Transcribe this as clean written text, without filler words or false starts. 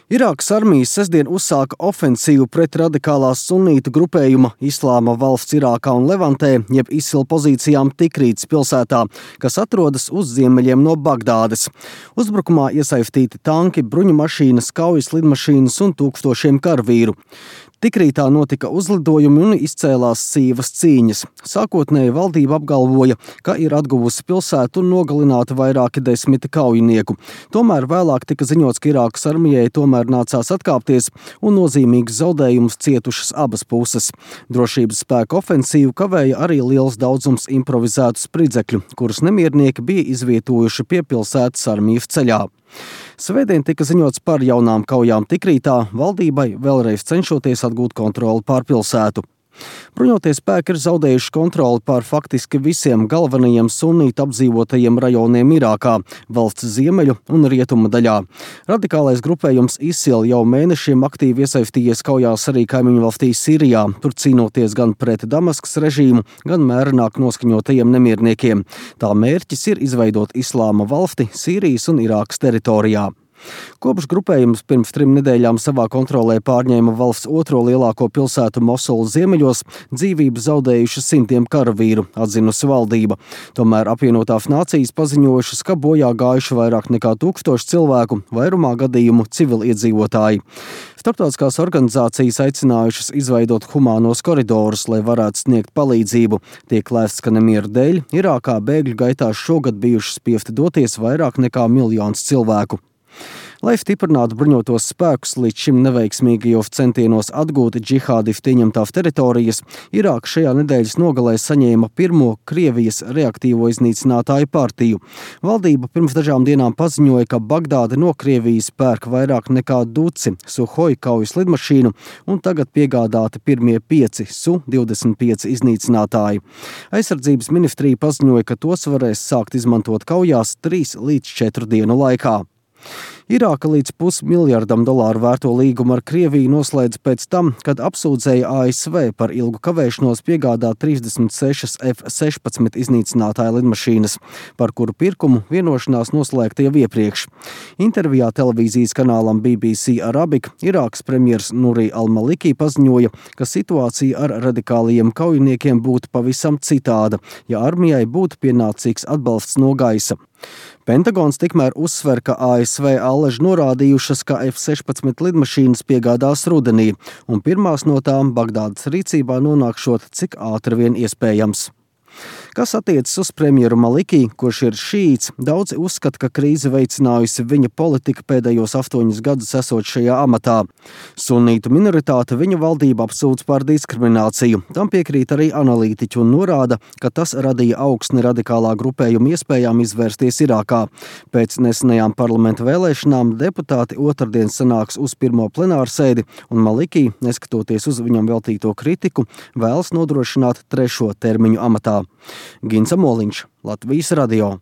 Irākas armija sestdien uzsāka ofensīvu pret radikālās sunītu grupējuma Islāma valsts Irākā un Levantē, jeb ISIL pozīcijām Tikrītas pilsētā, kas atrodas uz ziemeļiem no Bagdādes. Uzbrukumā iesaistīti tanki, bruņumašīnas, kaujas lidmašīnas un tūkstošiem karavīru. Tikrītā notika uzlidojumi un izcēlās sīvas cīņas. Sākotnēji valdība apgalvoja, ka ir atguvusi pilsētu un nogalināti vairāki desmiti kaujinieku. Tomēr vēlāk tika ziņots, ka Irākas armijai tomēr nācās atkāpties un nozīmīgus zaudējumus cietušas abas puses. Drošības spēku ofensīvu kavēja arī liels daudzums improvizētu spridzekļu, kurus nemiernieki bija izvietojuši pie pilsētas armijas ceļā. Svētdien tika ziņots par jaunām kaujām Tikrītā, valdībai vēlreiz cenšoties atgūt kontroli pār pilsētu. Bruņotie spēki ir zaudējuši kontroli pār faktiski visiem galvenajiem sunītu apdzīvotajiem rajoniem Irākā, valsts ziemeļu un rietumu daļā. Radikālais grupējums ISIL jau mēnešiem aktīvi iesaistījies kaujās arī kaimiņu valstī Sīrijā, tur cīnoties gan pret Damaskas režīmu, gan mērenāk noskaņotajiem nemierniekiem. Tā mērķis ir izveidot Islāma valsti Sīrijas un Irākas teritorijā. Kopš grupējums pirms 3 nedēļām savā kontrolē pārņēma valsts otro lielāko pilsētu Mosulu ziemeļos, dzīvību zaudējuši simtiem karavīru, atzinusi valdība. Tomēr apvienotās nācijas paziņojušas, ka bojā gājuši vairāk nekā 1000 cilvēku, vairumā gadījumu civiliedzīvotāji. Starptautiskās organizācijas aicinājušas izveidot humānos koridorus, lai varētu sniegt palīdzību. Tiek lēsts, ka nemieru dēļ Irākā bēgļu gaitās šogad bijuši spiesti doties vairāk nekā 1 miljons cilvēku. Lai stiprinātu bruņotos spēkus līdz šim neveiksmīgajos centienos atgūt džihādistu ieņemtās teritorijas, Irāka šajā nedēļas nogalē saņēma pirmo Krievijas reaktīvo iznīcinātāju partiju. Valdība pirms dažām dienām paziņoja, ka Bagdāde no Krievijas pērk vairāk nekā duci Suhoi kaujas lidmašīnu un tagad piegādāti pirmie 5 Su-25 iznīcinātāji. Aizsardzības ministrija paziņoja, ka tos varēs sākt izmantot kaujās 3 līdz 4 dienu laikā. Irāka līdz $500 miljardam vērto līgumu ar Krieviju noslēdz pēc tam, kad apsūdzēja ASV par ilgu kavēšanos piegādāt 36 F-16 iznīcinātāju lidmašīnas, par kuru pirkumu vienošanās noslēgta jau iepriekš. Intervijā televīzijas kanālam BBC Arabic Irākas premjers Nuri al-Maliki paziņoja, ka situācija ar radikālajiem kaujiniekiem būtu pavisam citāda, ja armijai būtu pienācīgs atbalsts no gaisa. Pentagons tikmēr uzsver, ka ASV allaži norādījušas, ka F-16 lidmašīnas piegādās rudenī, un pirmās no tām Bagdādas rīcībā nonākšot cik ātri vien iespējams. Kas attiecas uz premjeru Maliki, kurš ir šīts, daudzi uzskata, ka krīze veicinājusi viņa politika pēdējos 8 gadus esot šajā amatā. Sunītu minoritāte viņa valdību apsūdz par diskrimināciju. Tam piekrīt arī analītiķi un norāda, ka tas radīja augsni radikālā grupējuma iespējām izvērsties Irākā. Pēc nesenajām parlamenta vēlēšanām deputāti otrdien sanāks uz pirmo plenārsēdi, un Maliki, neskatoties uz viņam veltīto kritiku, vēlas nodrošināt 3. termiņu amatā. Gins Amoliņš, Latvijas radio.